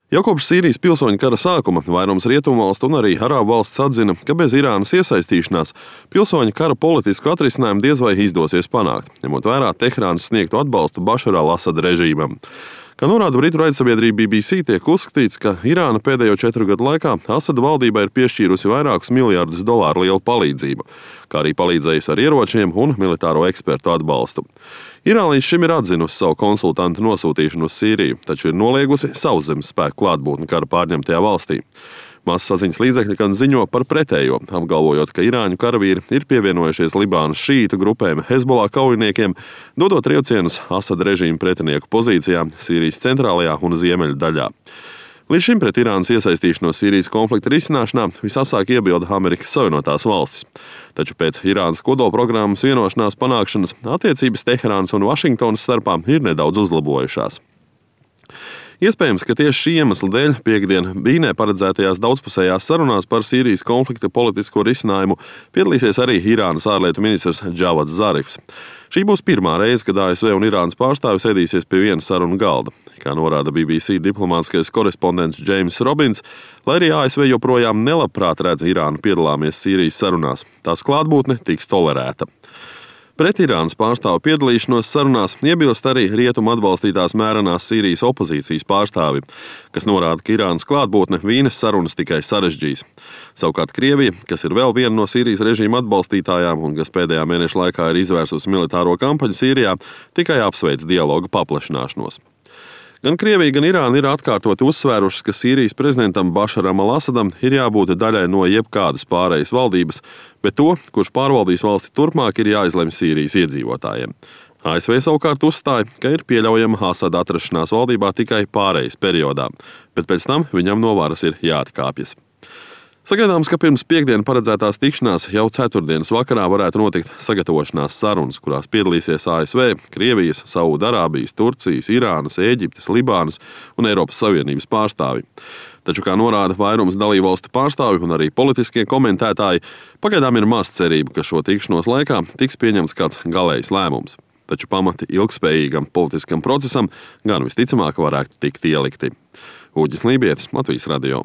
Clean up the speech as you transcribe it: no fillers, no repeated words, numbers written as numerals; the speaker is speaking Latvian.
Jau kopš Sīrijas pilsoņu kara sākuma vairums rietumvalstu un arī arābu valsts atzina, ka bez Irānas iesaistīšanās pilsoņu kara politisku atrisinājumu diez vai izdosies panākt, ņemot vērā Teherānas sniegto atbalstu Bašara al-Asada režīmam. Kā norāda britu raidsabiedrība BBC, tiek uzskatīts, ka Irāna pēdējo 4 gadu laikā Asada valdībai ir piešķīrusi vairākus miljardus dolāru lielu palīdzību, kā arī palīdzējusi ar ieročiem un militāro ekspertu atbalstu. Irāna līdz šim ir atzinusi savu konsultantu nosūtīšanu uz Sīriju, taču ir noliegusi sauszemes spēku klātbūtni kara pārņemtajā valstī. Masasaziņas līdzekļi gan ziņo par pretējo, apgalvojot, ka irāņu karavīri ir pievienojušies Libānas šīītu grupēm Hezbollah kaujiniekiem, dodot triecienus Asada režīma pretinieku pozīcijām Sīrijas centrālajā un ziemeļu daļā. Līdz šim pret Irānas iesaistīšanos Sīrijas konflikta risināšanā visasāk iebilda Amerikas Savienotās valstis. Taču pēc Irānas kodolprogrammas vienošanās panākšanas attiecības Teherānas un Vašingtonas starpā ir nedaudz uzlabojušās. Iespējams, ka tieši šī iemesla dēļ piektdien Vīnē paredzētajās daudzpusējās sarunās par Sīrijas konflikta politisko risinājumu piedalīsies arī Irānas ārlietu ministrs Džavads Zarifs. Šī būs pirmā reize, kad ASV un Irānas pārstāvis sēdīsies pie viena sarunu galda. Kā norāda BBC diplomātskais korespondents Džeims Robins, lai arī ASV joprojām nelabprāt redz Irānu piedalāmies Sīrijas sarunās, tās klātbūtne tiks tolerēta. Pret Irānas pārstāvu piedalīšanos sarunās iebilst arī rietumu atbalstītās mērenās Sīrijas opozīcijas pārstāvi, kas norāda, ka Irānas klātbūtne Vīnes sarunas tikai sarežģīs. Savukārt Krievija, kas ir vēl viena no Sīrijas režīma atbalstītājām un kas pēdējā mēneša laikā ir izvērsusi militāro kampaņu Sīrijā, tikai apsveic dialoga paplašināšanos. Gan Krievija, gan Irāna ir atkārtoti uzsvērušas, ka Sīrijas prezidentam Bašaram al-Asadam ir jābūt daļai no jebkādas pārējas valdības, bet to, kurš pārvaldīs valsti turpmāk, ir jāizlemj Sīrijas iedzīvotājiem. ASV savukārt uzstāja, ka ir pieļaujama Asada atrašanās valdībā tikai pārējas periodā, bet pēc tam viņam no varas ir jāatkāpjas. Sagaidāms, ka pirms piekdienas paredzētās tikšanās jau ceturtdienas vakarā varētu notikt sagatavošanās sarunas, kurās piedalīsies ASV, Krievijas, Saūdarābijas, Turcijas, Irānas, Ēģiptes, Libānas un Eiropas Savienības pārstāvji. Taču, kā norāda vairums dalībvalstu pārstāvju un arī politiskie komentētāji, pagaidām ir maz cerību, ka šo tikšanos laikā tiks pieņemts kāds galējs lēmums. Taču pamati ilgspējīgam politiskam procesam gan visticamāk varētu tikt ielikti. Uģis Lībietis, Latvijas radio.